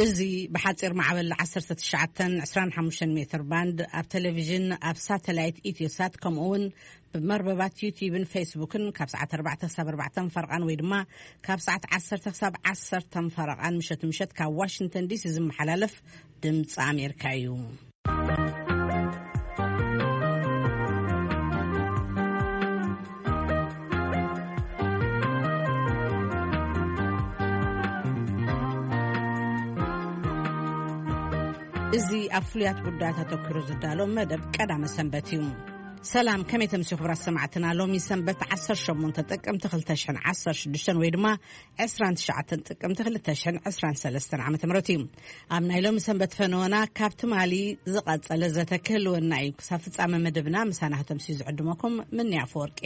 እዚ ብሓጺር ማዕበል ዓሰርተ ትሽዓተ ዕስራን ሓሙሽተን ሜትር ባንድ ኣብ ቴሌቪዥን፣ ኣብ ሳተላይት ኢትዮሳት፣ ከምኡ እውን ብመርበባት ዩቲዩብን ፌስቡክን ካብ ሰዓት ኣርባዕተ ክሳብ ኣርባዕተ ፈረቓን ወይ ድማ ካብ ሰዓት ዓሰርተ ክሳብ ዓሰርተ ፈረቓን ምሸት ምሸት ካብ ዋሽንግተን ዲሲ ዝመሓላለፍ ድምፂ ኣሜሪካ እዩ። እዚ ኣብ ፍሉያት ጉዳያት ኣተኲሩ ዝዳሎ መደብ ቀዳመ ሰንበት እዩ። ሰላም፣ ከመይ ተምስዩ ክቡራት ሰማዕትና? ሎሚ ሰንበት ዓሰርተ ሸሞንተ ጥቅምቲ ክልተ ሽሕን ዓሰርተ ሽዱሽተን ወይ ድማ ዕስራን ትሽዓተን ጥቅምቲ ክልተ ሽሕን ዕስራን ሰለስተን ዓመተ ምህረት እዩ። ኣብ ናይ ሎሚ ሰንበት ፈነወና ካብ ትማሊ ዝቐጸለ ዘተ ክህልወና እዩ። ክሳብ ፍጻመ መደብና ምሳና ከተምስዩ ዝዕድመኩም ምንያ ኣፈወርቂ።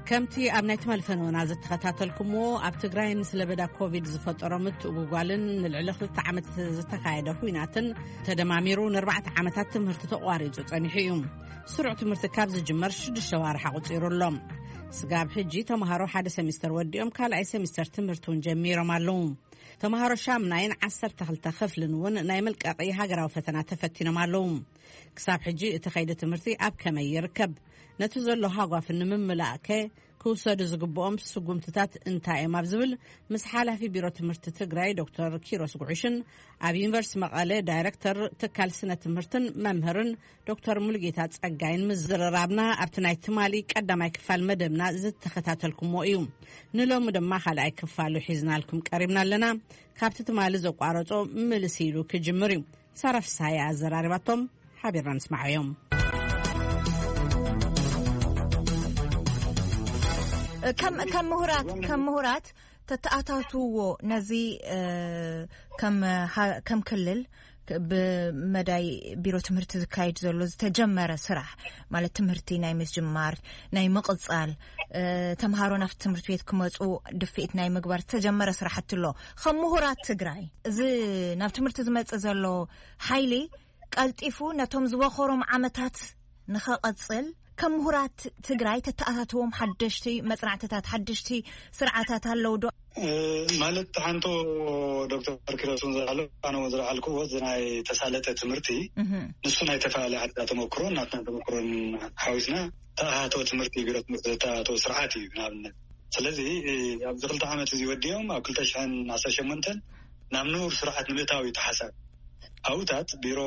ከምቲ ኣብ ናይ ትማሊ ፈነወና ዝተኸታተልኩምዎ፣ ኣብ ትግራይ ምስ ለበዳ ኮቪድ ዝፈጠሮ ምትእጉጓልን ንልዕሊ ክልተ ዓመት ዝተኻየደ ኲናትን ተደማሚሩ ንኣርባዕተ ዓመታት ትምህርቲ ተቋሪጹ ጸኒሑ እዩ። ስሩዕ ትምህርቲ ካብ ዝጅመር ሽዱሽተ ዋርሕ ኣቑጺሩ ኣሎ። ስጋብ ሕጂ ተምሃሮ ሓደ ሰሚስተር ወዲኦም ካልኣይ ሰሚስተር ትምህርቲ እውን ጀሚሮም ኣለዉ። ተምሃሮ ሻምናይን ዓሰርተ ክልተ ክፍልን እውን ናይ መልቀቒ ሃገራዊ ፈተና ተፈቲኖም ኣለዉ። ክሳብ ሕጂ እቲ ከይዲ ትምህርቲ ኣብ ከመይ ይርከብ? ነቲ ዘሎ ሃጓፍ ንምምላእከ ክውሰዱ ዝግብኦም ስጉምትታት እንታይ እዮም? ኣብ ዝብል ምስ ሓላፊ ቢሮ ትምህርቲ ትግራይ ዶክተር ኪሮስ ጉዕሽን ኣብ ዩኒቨርሲቲ መቐለ ዳይሬክተር ትካል ስነ ትምህርትን መምህርን ዶክተር ሙሉጌታ ጸጋይን ምዝርራብና ኣብቲ ናይ ትማሊ ቀዳማይ ክፋል መደብና ዝተኸታተልኩሞ እዩ። ንሎሚ ድማ ካልኣይ ክፋሉ ሒዝናልኩም ቀሪብና ኣለና። ካብቲ ትማሊ ዘቋረጾ ምልስ ኢሉ ክጅምር እዩ። ሳራ ፍስሃየ ኣዘራሪባቶም፣ ሓቢርና ንስማዓዮም። ከም ከም ምሁራት ከም ምሁራት ተተኣታትውዎ ነዚ እ፣ ከም ሃ- ከም ክልል ክ- ብመዳይ ቢሮ ትምህርቲ ዝካየድ ዘሎ ዝተጀመረ ስራሕ ማለት ትምህርቲ ናይ ምስጅማር ናይ ምቕጻል እ፣ ተምሃሮ ናብቲ ትምህርቲ ቤት ክመፁ ድፍኢት ናይ ምግባር ዝተጀመረ ስራሕቲ ኣሎ። ከም ምሁራት ትግራይ እዚ ናብ ትምህርቲ ዝመፅእ ዘሎ ሓይሊ ቀልጢፉ ነቶም ዝበኾሮም ዓመታት ንኸቐጽል ከም ምሁራት ትግራይ ተተኣታትዎም ሓደሽቲ መጽናዕትታት ሓደሽቲ ስርዓታት ኣለዉ ዶ? ማለት ሓንቶ ዶክተር ኪሮስን ዝለዓሉ ኣነ እውን ዝለዓልኩዎ እዚ ናይ ተሳለጠ ትምህርቲ ንሱ ናይ ተፈላለየ ዓድታት ተመክሮን ናትና ተመክሮን ሓዊስና ተኣሃቶ ትምህርቲ ቢሮ ትምህርቲ ዝተኣሃቶ ስርዓት እዩ። ንኣብነት ስለዚ ኣብዚ ክልተ ዓመት እዚ ወዲኦም ኣብ ክልተ ሽሕን ዓሰርተ ሸሞንተን ናብ ንቡር ስርዓት ንምእታው እዩ ተሓሳብ። ኣብታት ቢሮ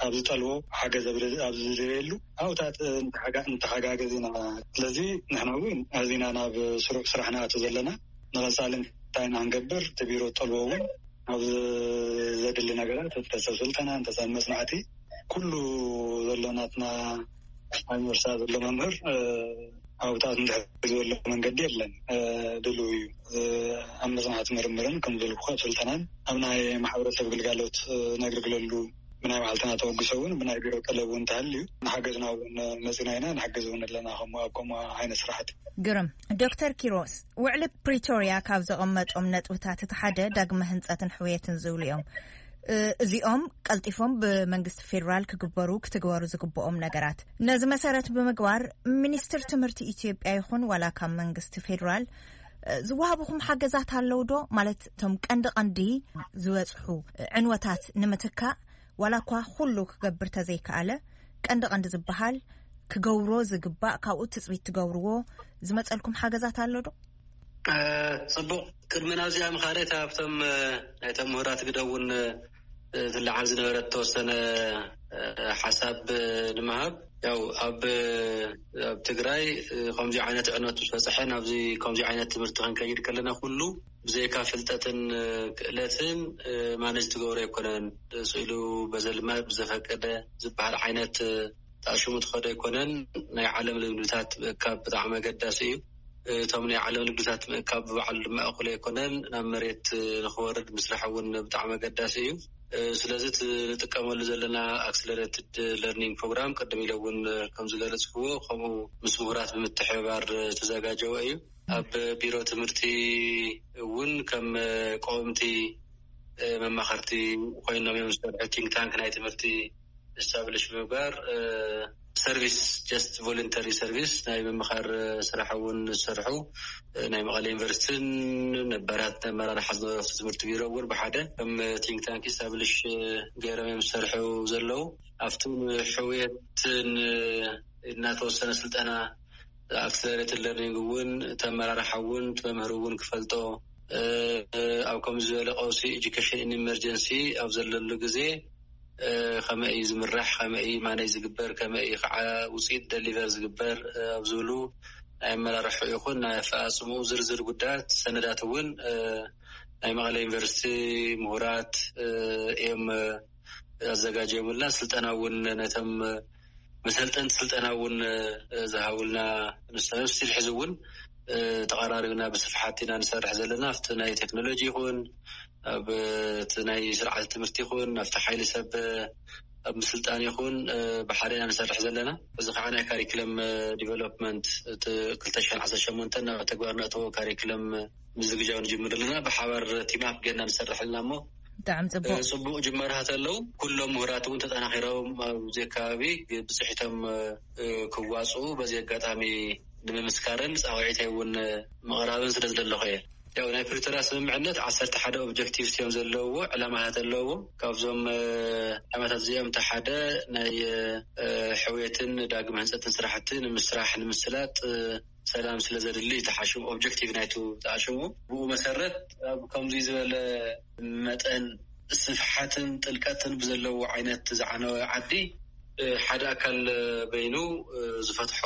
ኣብ ዝጠልቦ ሓገዝ ኣብ ዝደልየሉ ኣብታት እንተሓጋገዝ ኢና። ስለዚ ንሕና እውን ኣዚና ናብ ስሩዕ ስራሕ ንኣቱ ዘለና ንቐፃሊ እንታይ ኢና ክንገብር እቲ ቢሮ ዝጠልቦ እውን ኣብ ዘድሊ ነገራት እንተሰብ ስልጠና እንተሰብ መፅናዕቲ ኩሉ ዘሎ ናትና ኣብ ዩኒቨርሲቲ ዘሎ መምህር ኣብታት እንድሕር ዝበሎ መንገዲ የለን። ድልው እዩ ኣብ መፅናዕቲ ምርምርን ከም ዝበልኩ ኣብ ስልጠናን ኣብ ናይ ማሕበረሰብ ግልጋሎት ነግልግለሉ ብናይ ባዕልትና ተወግሶ እውን ብናይ ቢሮ ጠለብ እውን እንተሃልዩ ንሓገዝና እውን መፂና ኢና ንሓገዝ እውን ኣለና ከም ኣብ ከምኡ ዓይነት ስራሕቲ። ግርም። ዶክተር ኪሮስ፣ ውዕሊ ፕሪቶርያ ካብ ዘቐመጦም ነጥብታት እቲ ሓደ ዳግመ ህንፀትን ሕውየትን ዝብሉ እዮም። እዚኦም ቀልጢፎም ብመንግስቲ ፌዴራል ክግበሩ ክትግበሩ ዝግብኦም ነገራት ነዚ መሰረት ብምግባር ሚኒስትር ትምህርቲ ኢትዮጵያ ይኹን ዋላ ካብ መንግስቲ ፌዴራል ዝወሃብኹም ሓገዛት ኣለዉ ዶ? ማለት እቶም ቀንዲ ቀንዲ ዝበፅሑ ዕንወታት ንምትካእ ዋላ እኳ ኩሉ ክገብር ተዘይከኣለ ቀንዲ ቀንዲ ዝበሃል ክገብሮ ዝግባእ ካብኡ ትፅቢት ትገብርዎ ዝመፀልኩም ሓገዛት ኣሎ ዶ? ጽቡቕ። ቅድሚ ናብዚኣ ምኻደይ እታ ኣብቶም ናይቶም ምሁራት ግደ እውን ትለዓል ዝነበረት ተወሰነ ሓሳብ ንምሃብ ያው ኣብ ኣብ ትግራይ ከምዚ ዓይነት ዕነት ምስ በፅሐ ናብዚ ከምዚ ዓይነት ትምህርቲ ክንከይድ ከለና ኩሉ ብዘይካ ፍልጠትን ክእለትን ማነጅ ትገብሮ ኣይኮነን። ስኢሉ በዘልማድ ብዘፈቀደ ዝበሃል ዓይነት ተኣሽሙ ትኸዶ ኣይኮነን። ናይ ዓለም ልምድታት ምእካብ ብጣዕሚ ኣገዳሲ እዩ። እቶም ናይ ዓለም ልምድታት ምእካብ ብባዕሉ ድማ እኹል ኣይኮነን። ናብ መሬት ንክወርድ ምስራሕ እውን ብጣዕሚ ኣገዳሲ እዩ። ስለዚ እቲ ንጥቀመሉ ዘለና ኣክስለሬትድ ለርኒንግ ፕሮግራም ቅድም ኢለ እውን ከም ዝገለፅክዎ ከምኡ ምስ ምሁራት ብምትሕብባር ዝተዘጋጀወ እዩ። ኣብ ቢሮ ትምህርቲ እውን ከም ቀወምቲ መማኸርቲ ኮይኖም እዮም ዝሰርሑ። ቲንክ ታንክ ናይ ትምህርቲ ስታብሊሽ ምግባር፣ ሰርቪስ፣ ጀስት ቮለንተሪ ሰርቪስ ናይ ምምኻር ስራሕ እውን ዝሰርሑ፣ ናይ መቐለ ዩኒቨርሲቲን ነባራት ኣመራርሓ ዝነበሩ ትምህርቲ ቢሮ እውን ብሓደ ከም ቲንክ ታንክ ስታብሊሽ ገይሮም እዮም ዝሰርሑ ዘለዉ። ኣብቲ ሕውየትን እናተወሰነ ስልጠና ኣክስለሬትድ ለርኒንግ እውን እቲ ኣመራርሓ እውን እቲ መምህር እውን ክፈልጦ፣ ኣብ ከምዚ ዝበለ ቀውሲ ኤጁኬሽን ኢን ኢመርጀንሲ ኣብ ዘለሉ ግዜ ከመይ እዩ ዝምራሕ፣ ከመይ እዩ ማነጅ ዝግበር፣ ከመይ እዩ ከዓ ውፅኢት ደሊቨር ዝግበር ኣብ ዝብሉ ናይ ኣመራርሑ ይኹን ናይ ኣፈፃፅምኡ ዝርዝር ጉዳያት ሰነዳት እውን ናይ መቐለ ዩኒቨርሲቲ ምሁራት እዮም ኣዘጋጀሙልና። ስልጠና እውን ነቶም መሰልጠንቲ ስልጠና እውን ዝሃቡልና ንሶም ስቲል ሕዚ እውን ተቐራሪብና ብስፍሓት ኢና ንሰርሕ ዘለና ኣብቲ ናይ ቴክኖሎጂ ይኹን ኣብ እቲ ናይ ስርዓተ ትምህርቲ ይኹን ኣብቲ ሓይሊ ሰብ ኣብ ምስልጣን ይኹን ብሓደ ኢና ንሰርሕ ዘለና። እዚ ከዓ ናይ ካሪክለም ዲቨሎፕመንት እቲ ክልተ ሽሕን ዓሰርተ ሸሞንተን ናብ ተግባር ነእተዎ ካሪክለም ምዝግጃው ንጅምር ኣለና። ብሓባር ቲማፕ ገና ንሰርሕ ኣለና እሞ ብጣዕሚ ጽቡቅ። ጽቡቅ ጅማርሃት ኣለዉ። ኩሎም ምሁራት እውን ተጠናኺሮም ኣብዚ ከባቢ ብፅሒቶም ክዋፅኡ በዚ ኣጋጣሚ ንምምስካርን ፃውዒተይ እውን ምቕራብን ስለ ዝደለኹ እየ። ያው ናይ ፕሪቶርያ ስምምዕነት ዓሰርተ ሓደ ኦብጀክቲቭስ እዮም ዘለውዎ፣ ዕላማታት ኣለውዎ። ካብዞም ዕላማታት እዚኦም እቲ ሓደ ናይ ሕውየትን ዳግም ህንፀትን ስራሕቲ ንምስራሕ ንምስላጥ ሰላም ስለ ዘድሊ ተሓሽሙ ኦብጀክቲቭ ናይቱ ተሓሽሙ። ብኡ መሰረት ኣብ ከምዚ ዝበለ መጠን ስፍሓትን ጥልቀትን ብዘለዎ ዓይነት ዝዓነወ ዓዲ ሓደ ኣካል በይኑ ዝፈትሖ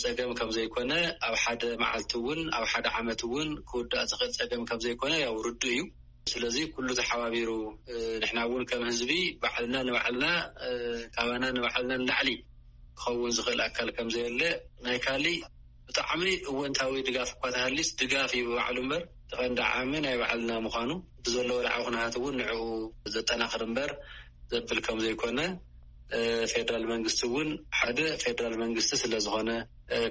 ፀገም ከም ዘይኮነ፣ ኣብ ሓደ መዓልቲ እውን ኣብ ሓደ ዓመት እውን ክውዳእ ዝኽእል ፀገም ከም ዘይኮነ ያው ርዱእ እዩ። ስለዚ ኩሉ ተሓባቢሩ ንሕና እውን ከም ህዝቢ ባዕልና ንባዕልና ካባና ንባዕልና ንላዕሊ ክኸውን ዝኽእል ኣካል ከም ዘየለ ናይ ካሊ ብጣዕሚ እወንታዊ ድጋፍ እኳ ተሃሊስ ድጋፍ እዩ ብባዕሉ እምበር ተቐንዳዓሚ ናይ ባዕልና ምዃኑ ብዘለዎ ዳዕዊ ኩነታት እውን ንዕኡ ዘጠናኽር እምበር ዘብል ከም ዘይኮነ ፌደራል መንግስቲ እውን ሓደ ፌደራል መንግስቲ ስለ ዝኾነ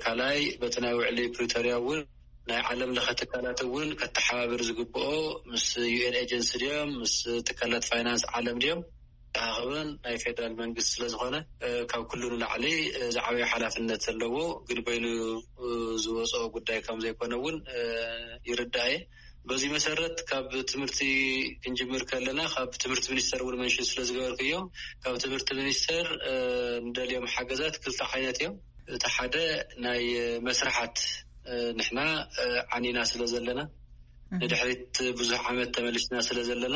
ካልኣይ በቲ ናይ ውዕሊ ፕሪቶርያ እውን ናይ ዓለም ለኸ ትካላት እውን ከተሓባብር ዝግብኦ ምስ ዩኤን ኤጀንሲ ድዮም ምስ ትካላት ፋይናንስ ዓለም ድዮም ተሃኽበን ናይ ፌደራል መንግስቲ ስለ ዝኾነ ካብ ኩሉ ንላዕሊ ዝዓበየ ሓላፍነት ዘለዎ ግን በይኑ ዝወፅኦ ጉዳይ ከም ዘይኮነ እውን ይርዳእ እየ። በዚ መሰረት ካብ ትምህርቲ ክንጅምር ከለና ካብ ትምህርቲ ሚኒስተር እውን መንሽን ስለ ዝገበርክዮ ካብ ትምህርቲ ሚኒስተር እንደልዮም ሓገዛት ክልተ ዓይነት እዮም። እቲ ሓደ ናይ መስርሓት ንሕና ዓኒና ስለ ዘለና ንድሕሪት ብዙሕ ዓመት ተመሊስና ስለ ዘለና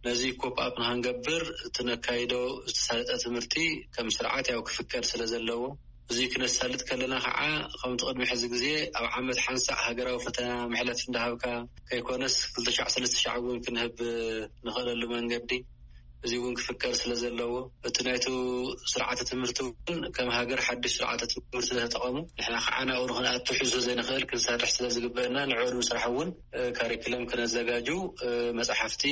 ነዚ ኮፕ ኣፕ ንክንገብር እቲ ነካይዶ ዝተሳለጠ ትምህርቲ ከም ስርዓት ያው ክፍቀድ ስለ ዘለዎ እዚ ክነሳልጥ ከለና ከዓ ከምቲ ቅድሚ ሕዚ ግዜ ኣብ ዓመት ሓንሳእ ሃገራዊ ፈተና መሕለፍ እንዳሃብካ ከይኮነስ ክልተ ሻዕ ሰለስተ ሻዕ እውን ክንህብ ንኽእለሉ መንገዲ እዚ እውን ክፍቀድ ስለ ዘለዎ እቲ ናይቱ ስርዓተ ትምህርቲ እውን ከም ሃገር ሓድሽ ስርዓተ ትምህርቲ ስለተጠቐሙ ንሕና ከዓ ናብኡ ንክንኣቱ ሕዙ ዘይንኽእል ክንሰርሕ ስለ ዝግበአና ንዕኡ ንምስራሕ እውን ካሪክለም ክነዘጋጁ መፅሓፍቲ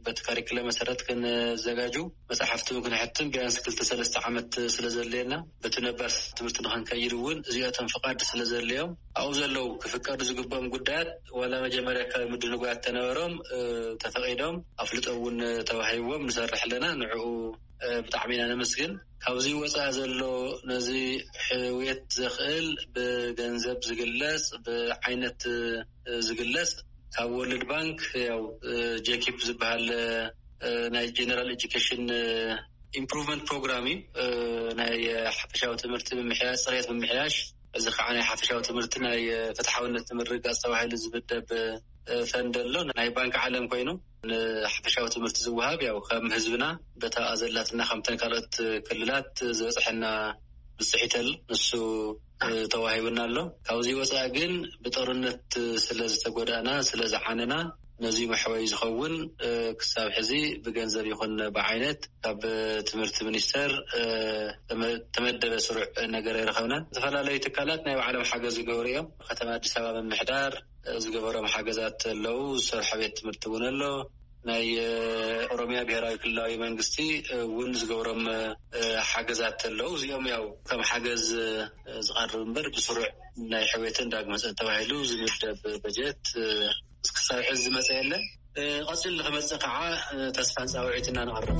በቲ ካሪክለም መሰረት ክንዘጋጁ መፅሓፍቲ እውን ክንሕትም ቢያንስ ክልተ ሰለስተ ዓመት ስለ ዘድልየና በቲ ነባር ትምህርቲ ንክንከይድ እውን እዚኣቶም ፍቓድ ስለ ዘድልዮም ኣብኡ ዘለዉ ክፍቀዱ ዝግብኦም ጉዳያት ዋላ መጀመርያ ካብ ምድንጓያት ተነበሮም ተፈቒዶም ኣፍልጦ እውን ተዋሂብዎም ንሰርሕ ኣለና። ንዕኡ ብጣዕሚ ኢና ነመስግን። ካብዚ ወፃኢ ዘሎ ነዚ ሕውየት ዘኽእል ብገንዘብ ዝግለፅ ብዓይነት ዝግለፅ ካብ ወርልድ ባንክ ያው ጄኪፕ ዝበሃል ናይ ጀነራል ኤጁኬሽን ኢምፕሩቭመንት ፕሮግራም እዩ። ናይ ሓፈሻዊ ትምህርቲ ምምሕያሽ ፅሬት ምምሕያሽ እዚ ከዓ ናይ ሓፈሻዊ ትምህርቲ ናይ ፍትሓውነት ንምርግጋፅ ተባሂሉ ዝምደብ ፈንድ ኣሎ ናይ ባንክ ዓለም ኮይኑ ንሓፈሻዊ ትምህርቲ ዝወሃብ ያው ከም ህዝብና በታ ዘላትና ከምተን ካልኦት ክልላት ዝበፅሐና ብፅሒት ኣሎ ንሱ ተዋሂብና ኣሎ። ካብዚ ወፃኢ ግን ብጦርነት ስለ ዝተጎዳእና ስለ ዝዓነና ነዚ መሕወይ ዝኸውን ክሳብ ሕዚ ብገንዘብ ይኹን ብዓይነት ካብ ትምህርቲ ሚኒስተር ተመደበ ስሩዕ ነገር ኣይረኸብናን። ዝተፈላለዩ ትካላት ናይ ባዕሎም ሓገዝ ዝገብሩ እዮም። ከተማ ኣዲስ ኣበባ ምምሕዳር ዝገበሮም ሓገዛት ኣለዉ። ዝሰርሖ ቤት ትምህርቲ እውን ኣሎ። ናይ ኦሮሚያ ብሄራዊ ክልላዊ መንግስቲ እውን ዝገብሮም ሓገዛት ኣለዉ። እዚኦም ያው ከም ሓገዝ ዝቐርብ እምበር ብስሩዕ ናይ ሕውየትን ዳግመ ተባሂሉ ዝምደብ በጀት እስክሳብ ሕዚ ዝመፀ የለን። እ፣ ቀጺሉ ንኽመጽእ ከዓ፣ እ፣ ተስፋን ጻውዒትና ነቕርብ።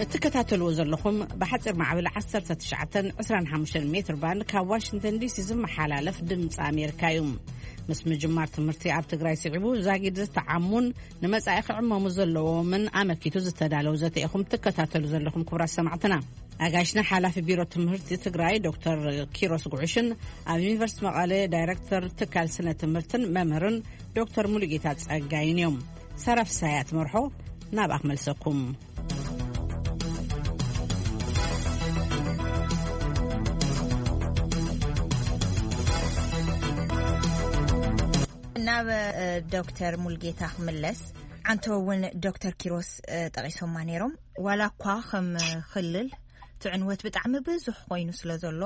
እትከታተልዎ ዘለኹም ብሓፂር ማዕበል ዓሰርተ ትሽዓተን ዕስራን ሓሙሽተን ሜትር ባንድ ካብ ዋሽንግተን ዲሲ ዝመሓላለፍ ድምፂ ኣሜሪካ እዩ። ምስ ምጅማር ትምህርቲ ኣብ ትግራይ ስዒቡ ዛጊድ ዝተዓሙን ንመጻኢ ክዕመሙ ዘለዎምን ኣመልኪቱ ዝተዳለው ዘተ ኢኹም ትከታተሉ ዘለኹም ክቡራት ሰማዕትና። ኣጋይሽና ሓላፊ ቢሮ ትምህርቲ ትግራይ ዶክተር ኪሮስ ጉዕሽን ኣብ ዩኒቨርሲቲ መቐለ ዳይሬክተር ትካል ስነ ትምህርትን መምህርን ዶክተር ሙሉጌታ ጸጋይን እዮም። ሰራፍ ሳያ ትመርሖ፣ ናብኣ ክመልሰኩም። ናብ እ፣ ዶክተር ሙልጌታ ክምለስ። ዓንቶ እውን ዶክተር ኪሮስ እ፣ ጠቒሶማ ነይሮም። ዋላ እኳ ከም ክልል እቲ ዕንወት ብጣዕሚ ብዙሕ ኮይኑ ስለ ዘሎ፣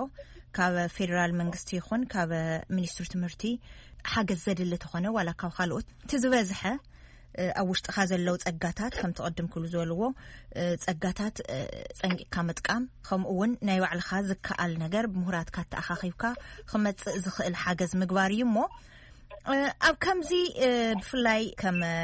ካብ ፌደራል መንግስቲ ይኹን ካብ ሚኒስትሪ ትምህርቲ ሓገዝ ዘድሊ ተኾነ፣ ዋላ ካብ ካልኦት እቲ ዝበዝሐ እ፣ ኣብ ውሽጥኻ ዘለዉ ጸጋታት ከም ትቐድም ክሉ ዝበልዎ እ፣ ጸጋታት እ፣ ጸንቂቕካ ምጥቃም፣ ከምኡ እውን ናይ ባዕልኻ ዝከኣል ነገር ብምሁራትካ ተኣኻኺብካ ክመጽእ ዝኽእል ሓገዝ ምግባር እዩ እሞ፣ እ፣ ኣብ ከምዚ እ፣ ብፍላይ ከም እ፣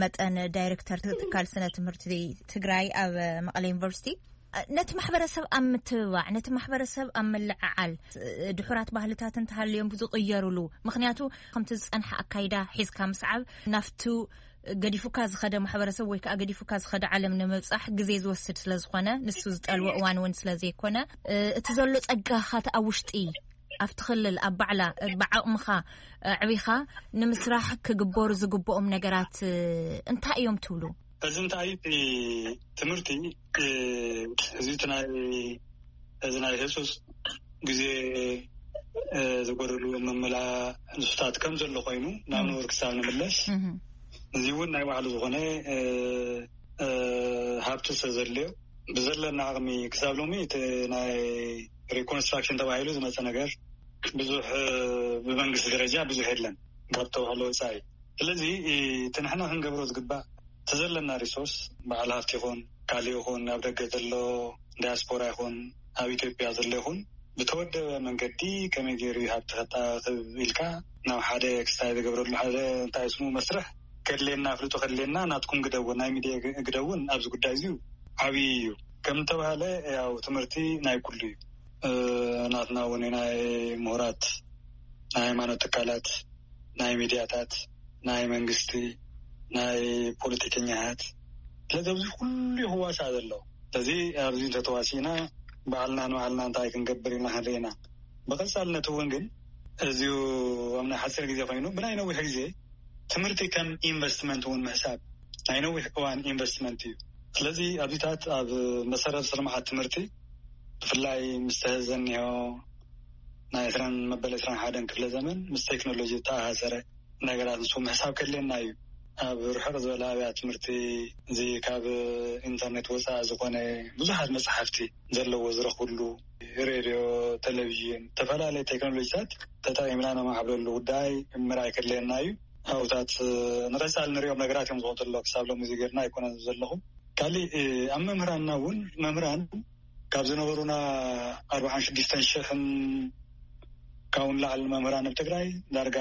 መጠን ዳይሬክተር ትካል ስነ ትምህርቲ ትግራይ ኣብ እ፣ መቐለ ዩኒቨርሲቲ፣ እ፣ ነቲ ማሕበረሰብ ኣብ ምትብባዕ፣ ነቲ ማሕበረሰብ ኣብ ምልዕዓል፣ እ፣ ድሑራት ባህልታት እንተሃልዮም ዝቕየሩሉ፣ ምኽንያቱ ከምቲ ዝጸንሐ ኣካይዳ ሒዝካ ምስዓብ ናፍቱ ገዲፉካ ዝኸደ ማሕበረሰብ ወይ ከዓ ገዲፉካ ዝኸደ ዓለም ንምብጻሕ ግዜ ዝወስድ ስለ ዝኾነ፣ ንሱ ዝጠልቦ እዋን እውን ስለ ዘይኮነ፣ እ፣ እቲ ዘሎ ጸጋኻ እቲ ኣብ ውሽጢ ኣብቲ ክልል ኣብ ባዕላ እ፣ ብዓቕምኻ እ፣ ኣዕቢኻ ንምስራሕ ክግበሩ ዝግብኦም ነገራት እ፣ እንታይ እዮም ትብሉ? እዚ እንታይ እቲ ትምህርቲ እ፣ እዚ እቲ ናይ እዚ ናይ ህጹጽ ግዜ እ፣ ዝጎደሉ ምምላእ ንሱታት ከም ዘሎ ኮይኑ ናብ ንቡር ክሳብ ንምለስ፣ እዚ እውን ናይ ባዕሉ ዝኾነ እ፣ እ፣ ሃብቲ ስለ ዘድልዮ፣ ብዘለና ዓቕሚ ክሳብ ሎሚ እቲ ናይ ሪኮንስትራክሽን ተባሂሉ ዝመፀ ነገር ብዙሕ እ፣ ብመንግስቲ ደረጃ ብዙሕ የለን ካብ ተባህሎ ወፃኢ። ስለዚ እ፣ እቲ ንሕና ክንገብሮ ዝግባእ እቲ ዘለና ሪሶርስ፣ በዓል ሃፍቲ ይኹን፣ ካልእ ይኹን፣ ኣብ ደገ ዘሎ ዳያስፖራ ይኹን፣ ኣብ ኢትዮጵያ ዘሎ ይኹን፣ ብተወደበ መንገዲ ከመይ ገይሩ እዩ ሃብቲ ከጣብብ ኢልካ ናብ ሓደ ክስታይ ዝገብረሉ ሓደ እንታይ ስሙ መስርሕ ከድልየና፣ ኣፍልጦ ከድልየና፣ ናትኩም ግደ እውን፣ ናይ ሚድያ ግ-፣ ግደ እውን ኣብዚ ጉዳይ እዚ ዓብዪ እዩ። ከም ዝተባህለ ያው ትምህርቲ ናይ ኩሉ እዩ። እ፣ ናትና እውን ናይ ምሁራት፣ ናይ ሃይማኖት ትካላት፣ ናይ ሚድያታት፣ ናይ መንግስቲ፣ ናይ ፖለቲከኛታት፣ ስለዚ ኣብዚ ኩሉ እዩ ክዋሳእ ዘለዎ። ስለዚ ኣብዚ እንተተዋሲእና ባዕልና ንባዕልና እንታይ ክንገብር ኢና ክንርኢ ኢና። ብቐጻልነት እውን ግን እዚዩ ኣብ ናይ ሓፂር ግዜ ኮይኑ ብናይ ነዊሕ ግዜ ትምህርቲ ከም ኢንቨስትመንት እውን ምሕሳብ ናይ ነዊሕ እዋን ኢንቨስትመንት እዩ። ስለዚ ኣብዚታት ኣብ መሰረተ ልምዓት ትምህርቲ ብፍላይ ምስ ተህዘ እኒሆ ናይ ዕስራን መበል ዕስራን ሓደን ክፍለ ዘመን ምስ ቴክኖሎጂ ዝተኣሳሰረ ነገራት ንሱ ምሕሳብ ከድልየና እዩ። ኣብ ርሕቕ ዝበለ ኣብያት ትምህርቲ እዚ ካብ ኢንተርኔት ወፃኢ ዝኾነ ብዙሓት መፅሓፍቲ ዘለዎ ዝረኽብሉ ሬድዮ፣ ቴሌቪዥን፣ ዝተፈላለዩ ቴክኖሎጂታት ተጠቒምና ነማዕብለሉ ጉዳይ ምርኣይ ከድልየና እዩ። ኣብታት ንቐፃሊ ንሪኦም ነገራት እዮም ዝኾኑ ዘሎ ክሳብ ሎሚ እዚ ጌርና ኣይኮነን ዘለኹ። ካሊእ ኣብ መምህራንና እውን መምህራን ካብ ዝነበሩና ኣርባዓን ሽዱሽተን ሽሕን ካብኡ ንላዕሊ መምህራን ኣብ ትግራይ ዳርጋ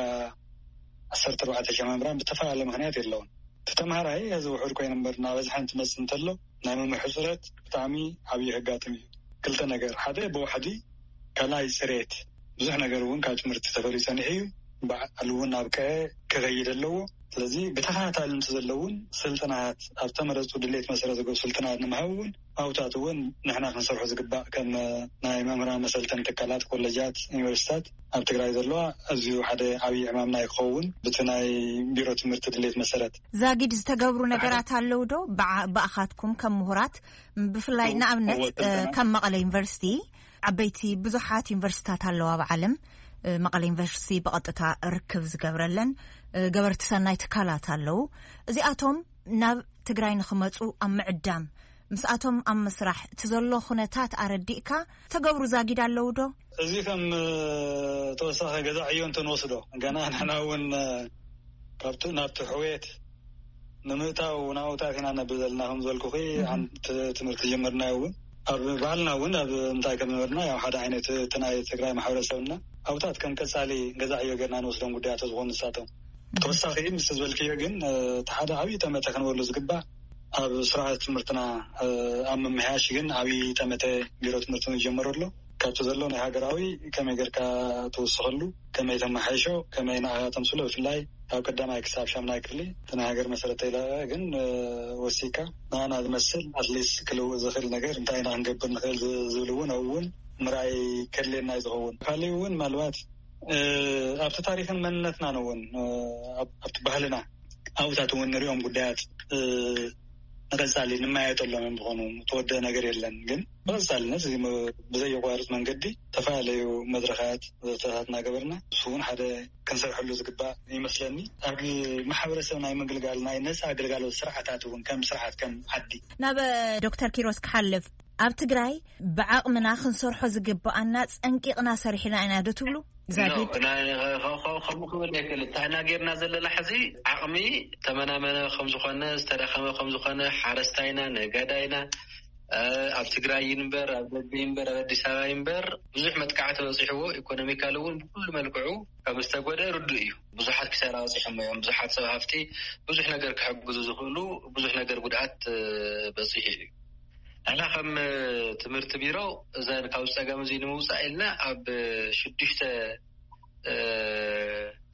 ዓሰርተ ኣርባዕተ ሽሕ መምህራን ብተፈላለየ ምኽንያት የለውን። እቲ ተምሃራይ እዚ ውሑድ ኮይኑ እምበር እናበዝሐ እንትመፅእ እንተሎ ናይ መምህር ሕፅረት ብጣዕሚ ዓብዪ ከጋጥም እዩ። ክልተ ነገር፣ ሓደ ብዋሕዲ፣ ካልኣይ ፅሬት። ብዙሕ ነገር እውን ካብ ትምህርቲ ተፈልዩ ፀኒሑ እዩ። ባዕሉ እውን ናብ ቀየ ክኸይድ ኣለዎ። ስለዚ ብተኸታታሊ እንተዘለውን ስልጠናት ኣብ ተመረፁ ድሌት መሰረት ዝገብሩ ስልጠናት ንምሃብ እውን ኣብታት እውን ንሕና ክንሰርሖ ዝግባእ ከም ናይ መምህራን መሰልጠኒ ትካላት፣ ኮለጃት፣ ዩኒቨርሲታት ኣብ ትግራይ ዘለዋ ኣዝዩ ሓደ ዓብዪ ዕማምና ክኸውን ብቲ ናይ ቢሮ ትምህርቲ ድሌት መሰረት። ዛጊድ ዝተገብሩ ነገራት ኣለዉ ዶ? ብዓ-፣ ብኣኻትኩም ከም ምሁራት ብፍላይ ንኣብነት እወ፣ ስልጠና። ከም መቐለ ዩኒቨርሲቲ ዓበይቲ ብዙሓት ዩኒቨርሲታት ኣለዋ ኣብ ዓለም። መቐለ ዩኒቨርሲቲ ብቐጥታ ርክብ ዝገብረለን ገበርቲ ሰናይ ትካላት ኣለዉ። እዚኣቶም ናብ ትግራይ ንኽመፁ ኣብ ምዕዳም ምስኣቶም ኣብ ምስራሕ እቲ ዘሎ ኩነታት ኣረዲእካ ተገብሩ ዛጊድ ኣለዉ ዶ? እዚ ከም ተወሳኺ ገዛ ዕዮ እንተንወስዶ ገና ንሕና እውን ካብቲ ናብቲ ሕውየት ንምእታው ናውታት ኢና ነብል ዘለና ከም ዝበልኩኺ። ኣንቲ ትምህርቲ ጀመርናዮ እውን ኣብ ባህልና እውን ኣብ እንታይ ከም ነበርና፣ ያው ሓደ ዓይነት እቲ ናይ ትግራይ ማሕበረሰብና ኣብታት ከም ቀጻሊ ገዛ ዕዮ ጌርና ንወስዶም ጉዳያት ዝኾኑ ንሳቶም። ተወሳኺ ምስ ዝበልክዮ ግን፣ እ፣ እቲ ሓደ ዓብዪ ጠመተ ክንበሉ ዝግባእ ኣብ ስርዓት ትምህርትና፣ እ፣ ኣብ ምምሕያሽ ግን ዓብዪ ጠመተ ቢሮ ትምህርቲ ዝጀመረ ኣሎ። ካብቲ ዘሎ ናይ ሃገራዊ ከመይ ጌርካ ትውስኸሉ፣ ከመይ ተመሓይሾ፣ ከመይ ንዓኻ ተምስሎ፣ ብፍላይ ካብ ቀዳማይ ክሳብ ሻምናይ ክፍሊ እቲ ናይ ሃገር መሰረት ተይለቐ ግን፣ እ፣ ወሲካ ንዓና ዝመስል ኣትሊስት ክልውጥ ዝኽእል ነገር እንታይ ኢና ክንገብር ንኽእል ዝ-፣ ዝብል እውን ኣብኡ እውን ምርኣይ ከድልየና እዩ ዝኸውን። ካሊእ እውን ምናልባት፣ እ፣ ኣብቲ ታሪኽን መንነትናን እውን፣ እ፣ ኣብ-፣ ኣብቲ ባህልና ኣብታት እውን ንሪኦም ጉዳያት፣ እ፣ ንቐጻሊ ንመያየጠሎም እዮም ዝኾኑ። ተወደአ ነገር የለን፣ ግን ብቐጻልነት እዚ ም-፣ ብዘየቋርጽ መንገዲ ዝተፈላለዩ መድረኻት ዘተታት እናገበርና፣ እሱ እውን ሓደ ክንሰርሐሉ ዝግባእ ይመስለኒ። ኣብ ማሕበረሰብ ናይ ምግልጋል ናይ ነጻ ኣገልጋሎት ስርዓታት እውን ከም ስርዓት ከም ዓዲ ናብ ዶክተር ኪሮስ ክሓልፍ፣ ኣብ ትግራይ ብዓቕምና ክንሰርሖ ዝግብኣና ጸንቂቕና ሰሪሕና ኢና ዶ ትብሉ? ዛጊድ? ኖ፣ ናይ-፣ ከ-፣ ከ-፣ ከ-፣ ከምኡ ክብል ኣይክእል። እንታይ ኢና ጌርና ዘለና ሕዚ? ዓቕሚ ተመናመነ ከም ዝኾነ፣ ዝተዳኸመ ከም ዝኾነ፣ ሓረስታይና፣ ነጋዳይና፣ እ፣ ኣብ ትግራይ ይንበር፣ ኣብ ደገ ይንበር፣ ኣብ ኣዲስ ኣበባ ይንበር፣ ብዙሕ መጥቃዕቲ በፂሕዎ፣ ኢኮኖሚካሊ እውን ብኩሉ መልክዑ ከም ዝተጎደ ርዱእ እዩ። ብዙሓት ክሳራ በፂሖም እዮም። ብዙሓት ሰብ ሃፍቲ ብዙሕ ነገር ክሕግዙ ዝኽእሉ፣ ብዙሕ ነገር ጉድኣት፣ እ፣ በፂሑ እዩ። ንሕና ከም ትምህርቲ ቢሮ እዘን ካብ ጸገም እዚ ንምውጻእ ኢልና ኣብ ሽዱሽተ፣ እ፣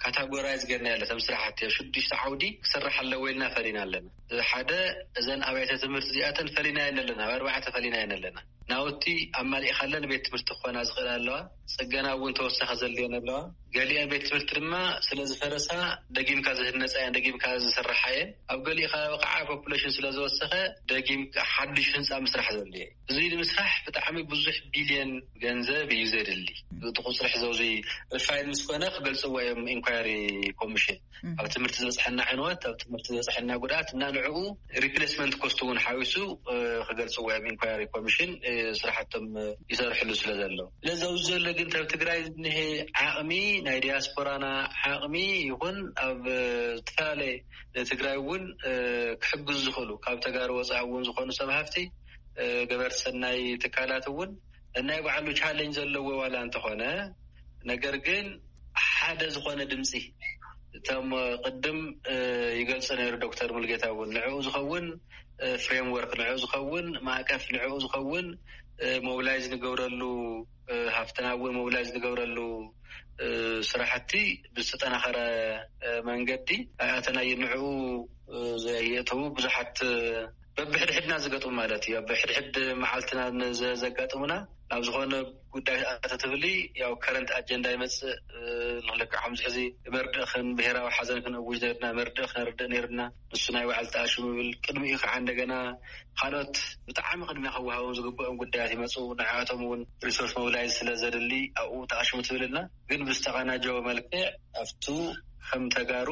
ካታጎራይዝ ጌርና ያለ፣ እተን ስራሕቲ ኣብ ሽዱሽተ ዓውዲ ክስራሕ ኣለዎ ኢልና ፈሊና ኣለና። ሓደ፣ እዘን ኣብያተ ትምህርቲ እዚኣተን ፈሊና የን ኣለና፣ ኣብ ኣርባዕተ ፈሊና የን ኣለና። ናውቲ ኣማሊእካለን ቤት ትምህርቲ ክኾና ዝኽእል ኣለዋ። ጽገና እውን ተወሳኺ ዘድልየን ኣለዋ። ገሊአን ቤት ትምህርቲ ድማ ስለ ዝፈረሳ ደጊምካ ዝህነጻ እየን፣ ደጊምካ ዝስራሓ እየን። ኣብ ገሊኡ ከባቢ ከዓ ፖፑሌሽን ስለ ዝወሰኸ ደጊም ሓድሽ ህንፃ ምስራሕ ዘድልዮ እዩ። እዚ ንምስራሕ ብጣዕሚ ብዙሕ ቢልዮን ገንዘብ እዩ ዘድሊ። እቲ ቁፅሪ ሕዚ ኣብዚ ሪፋይን ምስ ኮነ ክገልፅዎ እዮም ኢንኳየሪ ኮሚሽን። ኣብ ትምህርቲ ዝበፅሐና ዕንወት፣ ኣብ ትምህርቲ ዝበፅሐና ጉድኣት እና ንዕኡ ሪፕሌስመንት ኮስት እውን ሓዊሱ፣ እ፣ ክገልፅዎ እዮም ኢንኳየሪ ኮሚሽን፣ እ፣ ስራሕቶም፣ እ፣ ይሰርሕሉ ስለ ዘለዉ። ስለዚ ኣብዚ ዘሎ ግን ኣብ ትግራይ ዝኒሀ ዓቕሚ፣ ናይ ዲያስፖራና ዓቕሚ ይኹን ኣብ፣ እ፣ ዝተፈላለየ ንትግራይ እውን፣ እ፣ ክሕግዙ ዝኽእሉ ካብ ተጋሩ ወፃኢ እውን ዝኾኑ ሰብ ሃፍቲ፣ እ፣ ገበርቲ ሰናይ ትካላት እውን ናይ ባዕሉ ቻሌንጅ ዘለዎ ዋላ እንተኾነ፣ ነገር ግን ሓደ ዝኾነ ድምፂ እቶም ቅድም፣ እ፣ ይገልጾ ነይሩ ዶክተር ሙልጌታ እውን ንዕኡ ዝኸውን፣ እ፣ ፍሬምወርክ ንዕኡ ዝኸውን ማዕቀፍ ንዕኡ ዝኸውን፣ እ፣ ሞቢላይዝ ንገብረሉ፣ እ፣ ሃፍትና እውን ሞቢላይዝ ንገብረሉ፣ እ፣ ስራሕቲ ብዝተጠናኸረ፣ እ፣ መንገዲ ኣይኣተናዮ። ንዕኡ፣ እ፣ ዘየእተዉ ብዙሓት፣ እ፣ በብሕድሕድና ዝገጥሙ ማለት እዩ። ኣብ ሕድሕድ መዓልትና ንዘ-፣ ዘጋጥሙና ናብ ዝኾነ ጉዳይ ኣተትብሊ ያው ከረንት ኣጀንዳ ይመጽእ። እ፣ ንኽልክዕ ከምዚ ሕዚ መርድእ ክን-፣ ብሄራዊ ሓዘን ክንእውጅ ነርና፣ መርድእ ክነርድእ ነርና። ንሱ ናይ ባዕሉ ተኣሽሙ ይብል። ቅድሚኡ ከዓ እንደገና ካልኦት ብጣዕሚ ቅድሚያ ክወሃቦም ዝግብኦም ጉዳያት ይመጹ። ንዓቶም እውን ሪሶርስ ሞቢላይዝ ስለ ዘድሊ ኣብኡ ተኣሽሙ ትብልና። ግን ብዝተቐናጀወ መልክዕ ኣብቱ ከም ተጋሩ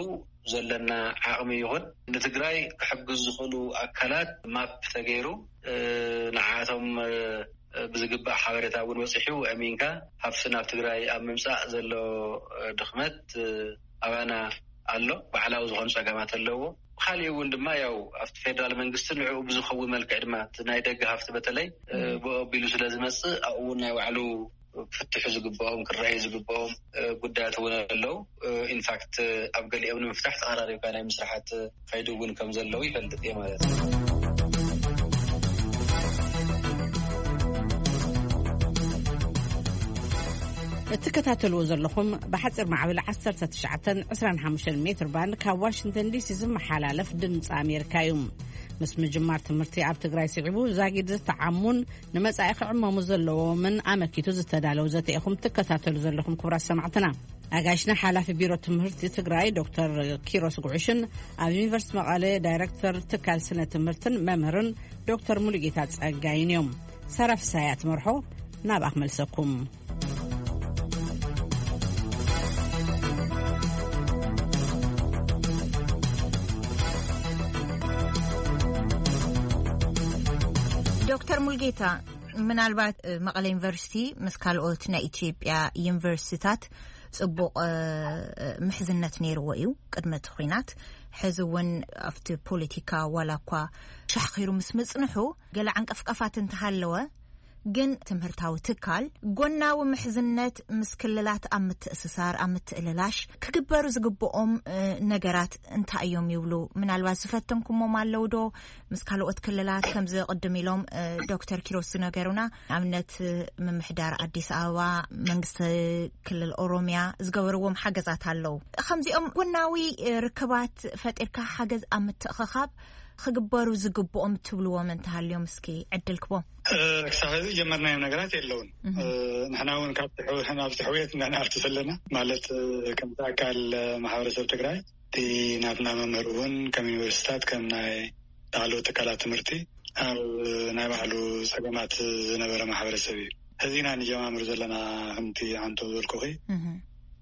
ዘለና ዓቕሚ ይኹን ንትግራይ ክሕግዙ ዝኽእሉ ኣካላት ማፕ ተገይሩ፣ እ፣ ንዓቶም፣ እ፣ ብዝግባእ ሓበሬታ እውን በፂሑ ኣሚንካ ሃፍቲ ናብ ትግራይ ኣብ ምምፃእ ዘሎ፣ እ፣ ድኽመት፣ እ፣ ኣባና ኣሎ። ባዕላዊ ዝኾኑ ፀገማት ኣለዎ። ብካሊእ እውን ድማ ያው ኣብቲ ፌደራል መንግስቲ ንዕኡ ብዝኸውን መልክዕ ድማ እቲ ናይ ደገ ሃፍቲ በተለይ፣ እ፣ ብኡ ኣቢሉ ስለ ዝመፅእ ኣብኡ እውን ናይ ባዕሉ ክፍትሑ ዝግብኦም፣ ክረኣዩ ዝግብኦም፣ እ፣ ጉዳያት እውን ኣለዉ። እ፣ ኢንፋክት ኣብ ገሊኦም ንምፍታሕ ተቐራሪብካ ናይ ምስራሓት ከይዲ እውን ከም ዘለዉ ይፈልጥ እየ ማለት እዩ። እትከታተልዎ ዘለኹም ብሓፂር ማዕበል ዓሰርተ ትሽዓተን ዕስራን ሓሙሽተን ሜትር ባንድ ካብ ዋሽንግተን ዲሲ ዝመሓላለፍ ድምፂ ኣሜሪካ እዩ። ምስ ምጅማር ትምህርቲ ኣብ ትግራይ ስዒቡ ዛጊድ ዝተዓሙን ንመጻኢ ክዕመሙ ዘለዎምን ኣመኪቱ ዝተዳለው ዘተ ኢኹም ትከታተሉ ዘለኹም ክቡራት ሰማዕትና። ኣጋይሽና ሓላፊ ቢሮ ትምህርቲ ትግራይ ዶክተር ኪሮስ ጉዕሽን ኣብ ዩኒቨርሲቲ መቐለ ዳይሬክተር ትካል ስነ ትምህርትን መምህርን ዶክተር ሙሉጌታ ጸጋይን እዮም። ሳራ ፍሳያ ትመርሖ፣ ናብኣ ክመልሰኩም። ዶክተር ሙልጌታ፣ ምናልባት፣ እ፣ መቐለ ዩኒቨርሲቲ ምስ ካልኦት ናይ ኢትዮጵያ ዩኒቨርሲቲታት ጽቡቕ፣ እ፣ ምሕዝነት ነይርዎ እዩ ቅድሚ እቲ ኲናት። ሕዚ እውን ኣብቲ ፖለቲካ ዋላ እኳ ሻሕኺሩ ምስ ምጽንሑ፣ ገለ ዓንቀፍቀፋት እንተሃለወ፣ ግን ትምህርታዊ ትካል ጎናዊ ምሕዝነት ምስ ክልላት ኣብ ምትእስሳር፣ ኣብ ምትእልላሽ ክግበሩ ዝግብኦም ነገራት እንታይ እዮም ይብሉ? ምናልባት ዝፈተንኩሞም ኣለዉ ዶ? ምስ ካልኦት ክልላት ከምዚ ቅድም ኢሎም ዶክተር ኪሮስ ዝነገሩና ኣብነት ምምሕዳር ኣዲስ ኣበባ፣ መንግስቲ ክልል ኦሮሚያ ዝገበርዎም ሓገዛት ኣለዉ። ከምዚኦም ጎናዊ ርክባት ፈጢርካ ሓገዝ ኣብ ምትእኽኻብ ክግበሩ ዝግብኦም ትብልዎም እንተሃልዮም እስኪ ዕድል ክቦም። ክሳብ ሕዚ ጀመርናዮም ነገራት የለውን። ንሕና እውን ካብቲ ናብቲ ሕውየት እናንኣቱ ዘለና ማለት ከምቲ ኣካል ማሕበረሰብ ትግራይ እቲ ናትና መምህር እውን ከም ዩኒቨርሲታት ከም ናይ ላዕለዎት ትካላት ትምህርቲ ኣብ ናይ ባዕሉ ፀገማት ዝነበረ ማሕበረሰብ እዩ። ሕዚ ኢና ንጀማምር ዘለና። ከምቲ ኣንቶ ዝበልኩኺ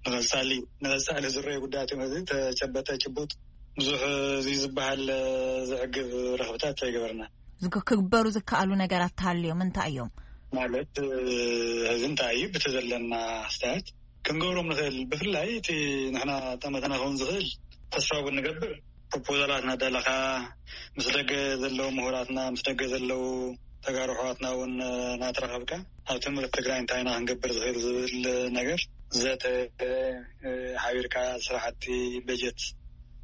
ንቐፃሊ ንቐፃሊ ዝረዩ ጉዳያት እዮም። እዚ ተጨበጠ ጭቡጥ ብዙሕ እዚ ዝበሃል ዘዕግብ ረኽብታት ኣይገበርና። ክግበሩ ዝከኣሉ ነገራት ተሃልዮም እንታይ እዮም? ማለት እዚ እንታይ እዩ ብቲ ዘለና ኣስተያየት ክንገብሮም ንኽእል? ብፍላይ እቲ ንሕና ጠመተና ክኸውን ዝኽእል ተስፋ እውን ንገብር ፕሮፖዛላት እናዳለኻ ምስ ደገ ዘለዉ ምሁራትና ምስ ደገ ዘለዉ ተጋሩ ኣሕዋትና እውን እናተራኸብካ ኣብ ትምህርቲ ትግራይ እንታይ ኢና ክንገብር ዝኽእል ዝብል ነገር ዘተ ሓቢርካ ስራሕቲ በጀት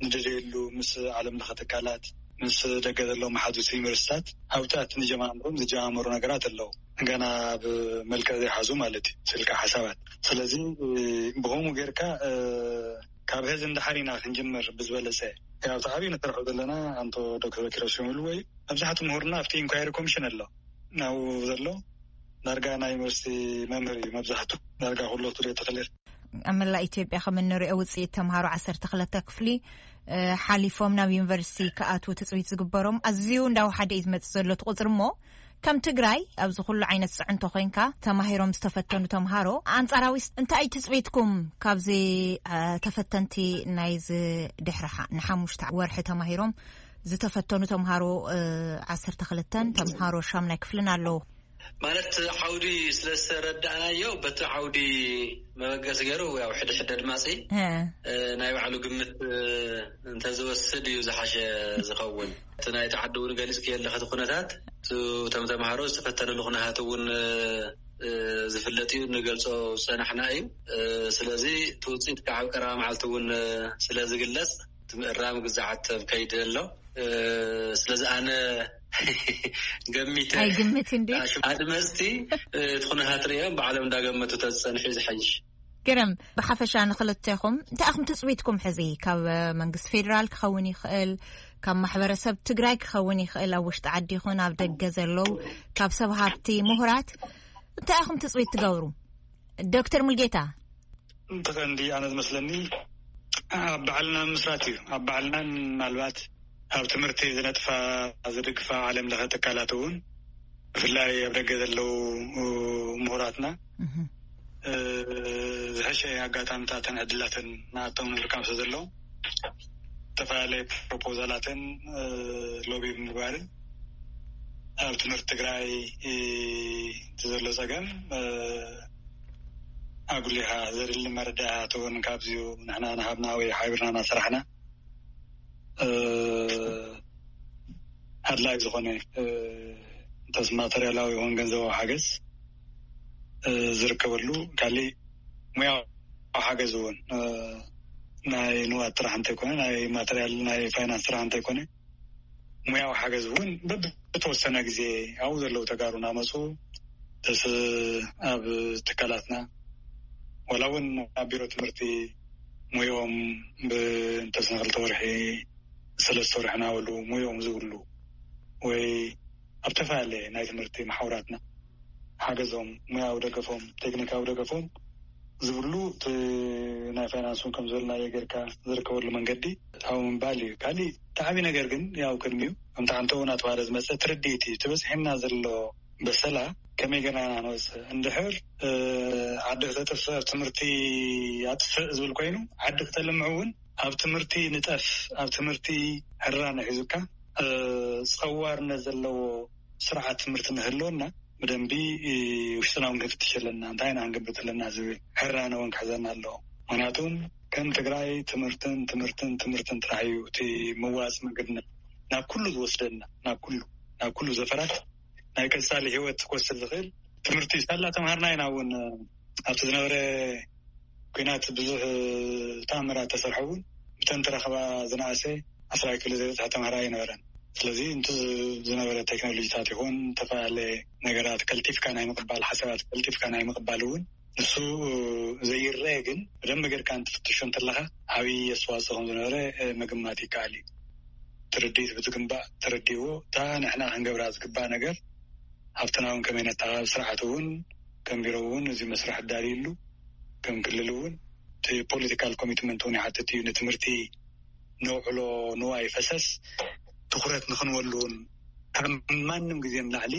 ንደልየሉ ምስ ዓለም ለኸ ትካላት ምስ ደገ ዘለዉ መሓዙት ዩኒቨርሲታት ኣብታት ንጀማምሮም ዝጀማመሩ ነገራት ኣለዉ። ገና ኣብ መልክዕ ዘይሓዙ ማለት እዩ ስልካ ሓሳባት። ስለዚ ብኸምኡ ጌርካ ካብ ሕዚ እንዳሓር ኢና ክንጅምር ብዝበለፀ። ያው እቲ ዓብዪ ንሰርሖ ዘለና ኣንቶ ዶክተር ኪሮስ ሽሙሉ ወይ መብዛሕቱ ምሁርና ኣብቲ ኢንኳይሪ ኮሚሽን ኣሎ ናብኡ ዘሎ ዳርጋ ናይ ዩኒቨርሲቲ መምህር እዩ። መብዛሕቱ ዳርጋ ኩሎ ትሪኦ ተኽእል ኣብ መላእ ኢትዮጵያ ከም እንሪኦ ውፅኢት ተምሃሮ ዓሰርተ ክልተ ክፍሊ ሓሊፎም ናብ ዩኒቨርሲቲ ክኣትዉ ትፅቢት ዝግበሮም ኣዝዩ እንዳወሓደ እዩ ዝመፅእ ዘሎ እቲ ቁፅሪ እሞ ከም ትግራይ ኣብዚ ኩሉ ዓይነት ፅዕንቶ ኮይንካ ተማሂሮም ዝተፈተኑ ተምሃሮ ኣንፃራዊ እንታይ ትፅቢትኩም ካብዚ ተፈተንቲ ናይዚ ድሕሪ ንሓሙሽተ ወርሒ ተማሂሮም ዝተፈተኑ ተምሃሮ ዓሰርተ ክልተን ተምሃሮ ሻምናይ ክፍልን ኣለዉ። ማለት ዓውዲ ስለ ዝተረዳእናዮ በቲ ዓውዲ መበገሲ ገይሩ ያው ሕድሕድ ኣድማፂ ናይ ባዕሉ ግምት እንተዝወስድ እዩ ዝሓሸ ዝኸውን። እቲ ናይቲ ዓዲ እውን ገሊፅክዮ ኣለኺ እቲ ኩነታት እቶም ተምሃሮ ዝተፈተንሉ ኩነታት እውን ዝፍለጥ እዩ፣ ንገልፆ ዝፀናሕና እዩ። ስለዚ እቲ ውፅኢት ከዓ ኣብ ቀረባ መዓልቲ እውን ስለ ዝግለፅ እቲ ምእራም ግዛዓት ኣብ ከይዲ ኣሎ። ስለዚ ኣነ ገሚተ ኣይግምት እንዲ ኣድመፅቲ እቲ ኩነታት ርእዮም ባዕሎም እንዳገመቱ ተዝፀንሑ እዩ ዝሓይሽ። ግርም፣ ብሓፈሻ ንክልቴኹም እንታይ ኢኹም ትፅቢትኩም ሕዚ ካብ መንግስቲ ፌዴራል ክኸውን ይኽእል፣ ካብ ማሕበረሰብ ትግራይ ክኸውን ይኽእል፣ ኣብ ውሽጢ ዓዲ ይኹን ኣብ ደገ ዘለዉ ካብ ሰብ ሃብቲ ምሁራት እንታይ ኢኹም ትፅቢት ትገብሩ? ዶክተር ሙልጌታ። እቲ ቀንዲ ኣነ ዝመስለኒ ኣብ ባዕልና ምስራት እዩ። ኣብ ባዕልናን ምናልባት ኣብ ትምህርቲ ዝነጥፋ ዝድግፋ ዓለም ለኸ ትካላት እውን ብፍላይ ኣብ ደገ ዘለዉ ምሁራትና ዝሐሸ ኣጋጣምታትን ዕድላትን ንኣቶም ንምርካብ ስለ ዘለዉ ዝተፈላለየ ፕሮፖዛላትን ሎቢ ብምግባርን ኣብ ትምህርቲ ትግራይ እቲ ዘሎ ፀገም ኣጉሊኻ ዘድሊ መረዳእታ እውን ካብዚኡ ንሕና ናሃብና ወይ ሓቢርና ናሰራሕና ኣድላይ ዝኾነ እንተስ ማተርያላዊ ይኹን ገንዘባዊ ሓገዝ ዝርከበሉ ካሊእ ሙያዊ ሓገዝ እውን ናይ ንዋት ጥራሕ እንተይኮነ ናይ ማተርያል ናይ ፋይናንስ ጥራሕ እንተይኮነ ሙያዊ ሓገዝ እውን በብተወሰነ ግዜ ኣብኡ ዘለዉ ተጋሩ እናመፁ ተስ ኣብ ትካላትና ዋላ እውን ኣብ ቢሮ ትምህርቲ ሙያኦም ብእንተስነ ክልተ ወርሒ ሰለስተ ወርሒ እናበሉ ሙያኦም ዝብሉ ወይ ኣብ ተፈላለየ ናይ ትምህርቲ መሓውራትና ሓገዞም ሙያዊ ደገፎም ቴክኒካዊ ደገፎም ዝብሉ እቲ ናይ ፋይናንስ እውን ከም ዝበልናዮ ጌርካ ዝርከበሉ መንገዲ ኣብኡ ምባል እዩ። ካሊእ እቲ ዓብዪ ነገር ግን ያው ቅድሚኡ ከምቲ ሓንቶ እውን ኣተባሃለ ዝመፀ ትርድኢት እዩ። እቲ በፂሕና ዘሎ በሰላ ከመይ ጌርና ኢና ንወፅእ? እንድሕር ዓዲ ክተጥፍእ ኣብ ትምህርቲ ኣጥፍእ ዝብል ኮይኑ ዓዲ ክተልምዕ እውን ኣብ ትምህርቲ ንጠፍ ኣብ ትምህርቲ ሕራነ ሒዙካ ፀዋርነት ዘለዎ ስርዓት ትምህርቲ ንህልወና ብደንቢ ውሽጥና እውን ክንፍትሽ ኣለና። እንታይ ኢና ክንገብር ዘለና ዝብል ሕራነ እውን ክሕዘና ኣለዎ። ምክንያቱም ከም ትግራይ ትምህርትን ትምህርትን ትምህርትን ጥራሕ እዩ እቲ መዋፂ መንገድና ናብ ኩሉ ዝወስደና ናብ ኩሉ ናብ ኩሉ ዘፈራት ናይ ቀፃሊ ህይወት ክወስድ ዝኽእል ትምህርቲ ሳላ ተምሃርና ኢና እውን። ኣብቲ ዝነበረ ኲናት ብዙሕ ተኣምራት ተሰርሐ እውን። ብተን ተረኸባ ዝነኣሰ ዓስራ ኪሎ ዘይበፅሐ ተምሃራይ ኣይነበረን። ስለዚ እንት ዝነበረ ቴክኖሎጂታት ይኹን ዝተፈላለየ ነገራት ቀልጢፍካ ናይ ምቕባል ሓሳባት ቀልጢፍካ ናይ ምቕባል እውን ንሱ ዘይረአ ግን ብደንብ ጌርካ እንትፍትሾ እንተለኻ ዓብዪ ኣስተዋፅኦ ከም ዝነበረ ምግማት ይከኣል እዩ። ትርድኢት ብዝግባእ ተረዲዎ እታ ንሕና ክንገብራ ዝግባእ ነገር ኣብትና እውን ከመይ ነተሓባብ ስርዓት እውን ከም ቢሮ እውን እዚ መስርሕ ኣዳልዩሉ ከም ክልል እውን እቲ ፖለቲካል ኮሚትመንት እውን ይሓትት እዩ። ንትምህርቲ ነውዕሎ ንዋይ ፈሰስ ትኹረት ንኽንወሉ እውን ካብ ማንም ግዜ ንላዕሊ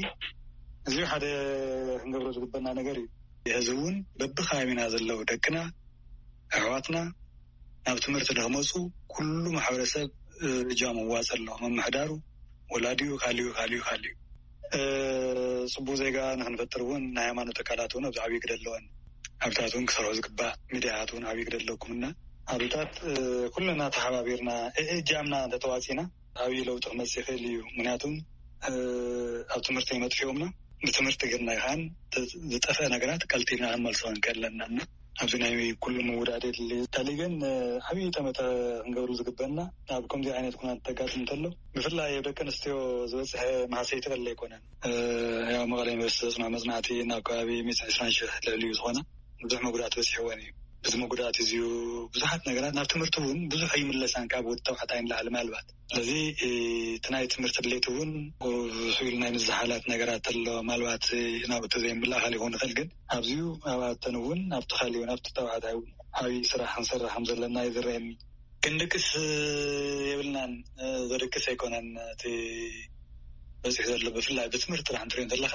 እዚ ሓደ ክንገብሮ ዝግበና ነገር እዩ። እዚ እውን በብከባቢና ዘለዉ ደቅና ኣሕዋትና ናብ ትምህርቲ ንክመፁ ኩሉ ማሕበረሰብ እጃሙ ዋፅ ኣሎ። መምሕዳሩ፣ ወላዲኡ፣ ካሊኡ ካሊኡ ካሊኡ። ፅቡቅ ዜጋ ንክንፈጥር እውን ናይ ሃይማኖት ትካላት እውን ኣብዚ ዓብዪ ግደ ኣለወን። ኣብታት እውን ክሰርሑ ዝግባእ ሚዲያታት እውን ዓብዪ ግደ ኣለኩም እና ኣብታት ኩልና ተሓባቢርና እእጃምና እንተተዋፂና ዓብዪ ለውጢ ክመፅእ ይኽእል እዩ። ምክንያቱም ኣብ ትምህርቲ መጥፊኦምና ብትምህርቲ ግርና ይኻን ዝጠፍአ ነገራት ቀልጢፍና ክንመልሶ ንክእል ኣለና እና ኣብዚ ናይ ኩሉ ምውዳድ የድሊ። ታሊ ግን ዓብዪ ጠመተ ክንገብሩ ዝግበና ኣብ ከምዚ ዓይነት ኩናት ተጋጥም እንተሎ ብፍላይ ኣብ ደቂ ኣንስትዮ ዝበፅሐ መሃሰይቲ ቀለ ኣይኮነን። ያው መቐለ ዩኒቨርሲቲ ዘፅንሖ መፅናዕቲ ናብ ከባቢ ሚእቲ ዕስራን ሽሕ ልዕሊ እዩ ዝኾነ ብዙሕ መጉዳእቲ በፂሕወን እዩ። እዚ መጉዳእቲ እዚዩ ብዙሓት ነገራት ናብ ትምህርቲ እውን ብዙሕ ኣይምለሳን ካብ ወዲ ተባዕታይ ንላዕሊ ማልባት። ስለዚ እቲ ናይ ትምህርቲ ድሌት እውን ቁሩብ ስኢሉ ናይ ምዝሓላት ነገራት ኣሎ። ማልባት ናብቲ ዘይምልኣኻል ይኸውን ይኽእል ግን ኣብዚዩ ኣብኣተን እውን ኣብቲ ካሊኡ ናብቲ ተባዕታይ እውን ዓብዪ ስራሕ ክንሰርሕ ከም ዘለና እዩ ዝረአየኒ። ክንድቅስ የብልናን። ዘድቅስ ኣይኮነን እቲ በፂሑ ዘሎ ብፍላይ ብትምህርቲ ጥራሕ እንትሪኦ እንተለካ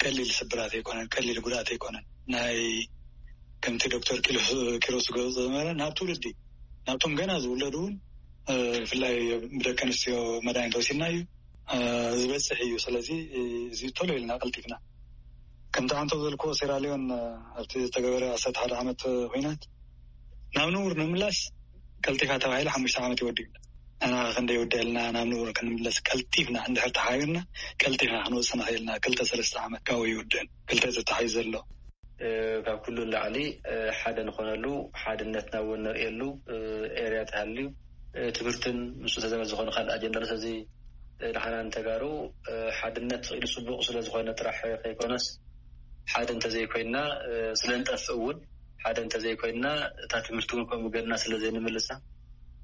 ቀሊል ስብራት ኣይኮነን፣ ቀሊል ጉድኣት ኣይኮነን። ናይ ከምቲ ዶክተር ኪሮስ ገለፆ ዝነበረ ናብ ትውልዲ ናብቶም ገና ዝውለዱ እውን ብፍላይ ብደቂ ኣንስትዮ መድሃኒት ወሲድና እዩ ዝበፅሕ እዩ። ስለዚ እዚ ቶሎ ኢልና ቀልጢፍና ከምቲ ዓንቶ ዘልኮ ሴራሊዮን ኣብቲ ዝተገበረ ዓሰርተ ሓደ ዓመት ኩናት ናብ ንቡር ንምምላስ ቀልጢፋ ተባሂሉ ሓሙሽተ ዓመት ይወድእ። ኣና ክንደ ይወደልና ናብ ንቡር ክንምለስ ቀልጢፍና እንድሕር ተሓቢርና ቀልጢፍና ክንወፅእ ንኽእልና ክልተ ሰለስተ ዓመት ካብኡ ይውድእን ክልተ ተታሒዙ ዘሎ። ካብ ኩሉ ንላዕሊ ሓደ ንኾነሉ ሓድነትና እውን ንርእየሉ ኤርያ ተሃልዩ ትምህርትን ምስ ተዘመድ ዝኾነ ካልእ ኣጀንዳ ስለዚ ንዓና ንተጋሩ ሓድነት ስኢሉ ፅቡቕ ስለ ዝኾነ ጥራሕ ከይኮነስ ሓደ እንተዘይኮይና ስለ ንጠፍእ እውን ሓደ እንተዘይኮይና እታ ትምህርቲ እውን ከምኡ ገድና ስለ ዘይንምልሳ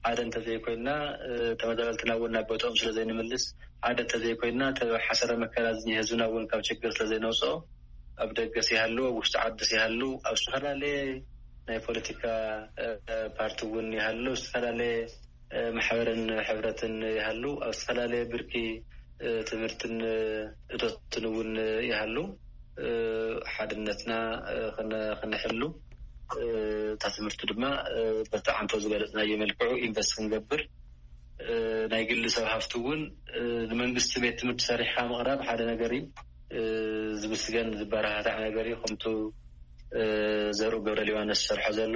ሓደ እንተዘይኮይና ተመዛበልትና እውን ናብ ቦትኦም ስለ ዘይንምልስ ሓደ እንተዘይኮይና ሓሰረ መከራ ዝኒ ህዝብና እውን ካብ ችግር ስለ ዘይነውፅኦ ኣብ ደገስ ይሃሉ ኣብ ውሽጢ ዓድስ ይሃሉ ኣብ ዝተፈላለየ ናይ ፖለቲካ ፓርቲ እውን ይሃሉ ዝተፈላለየ ማሕበርን ሕብረትን ይሃሉ ኣብ ዝተፈላለየ ብርኪ ትምህርትን እቶትን እውን ይሃሉ ሓድነትና ክነሕሉ እታ ትምህርቲ ድማ በቲ ዓንቶ ዝገለፅናዮ መልክዑ ኢንቨስት ክንገብር ናይ ግሊ ሰብ ሃፍቲ እውን ንመንግስቲ ቤት ትምህርቲ ሰሪሕካ ምቕራብ ሓደ ነገር እዩ። ዝምስገን ዝበረታታዕ ነገር እዩ። ከምቱ ዘርኡ ገብረ ሊባኖስ ዝሰርሖ ዘሎ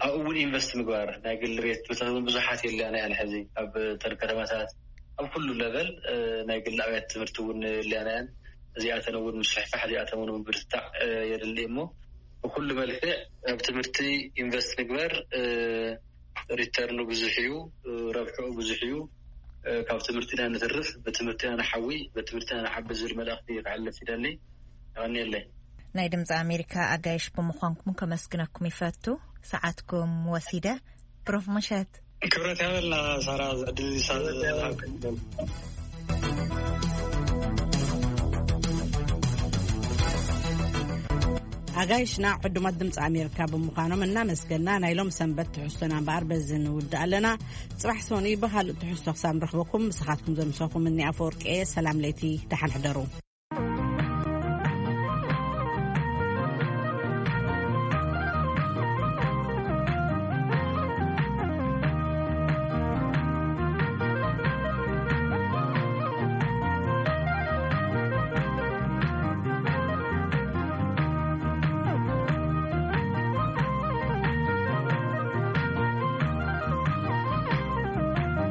ኣብኡ እውን ኢንቨስት ምግባር ናይ ግሊ ቤት ትምህርታት እውን ብዙሓት የለና እያን ሕዚ ኣብ ተን ከተማታት ኣብ ኩሉ ለቨል ናይ ግሊ ኣብያት ትምህርቲ እውን የለና እያን። እዚኣተን እውን ምስፍሕፋሕ እዚኣተን እውን ምብርትታዕ የድሊ እሞ ብኩሉ መልክዕ ኣብ ትምህርቲ ኢንቨስት ንግበር። ሪተርኑ ብዙሕ እዩ፣ ረብሕኡ ብዙሕ እዩ። ካብ ትምህርቲና ንትርፍ ብትምህርቲና ንሓዊ ብትምህርቲና ንዓቢ ዝብል መልእኽቲ ክሕልፍ ይደሊ። የቐንየለይ። ናይ ድምፂ ኣሜሪካ ኣጋይሽ ብምዃንኩም ከመስግነኩም ይፈቱ። ሰዓትኩም ወሲደ። ፕሮፍ መሸት። ክብረት ያበልና ሳራ። ዕድል ዝሃብክን ኣጋይሽና ዕዱማት ድምፂ ኣሜሪካ ብምዃኖም እናመስገና ናይ ሎም ሰንበት ትሕዝቶና እምበኣር በዚ ንውድእ ኣለና። ፅባሕ ሰኑይ ብካልእ ትሕዝቶ ክሳብ ንረኽበኩም ምሳኻትኩም ዘምሰኹም እኒ ኣፈወርቂ እየ። ሰላም ለይቲ፣ ደሓን ሕደሩ።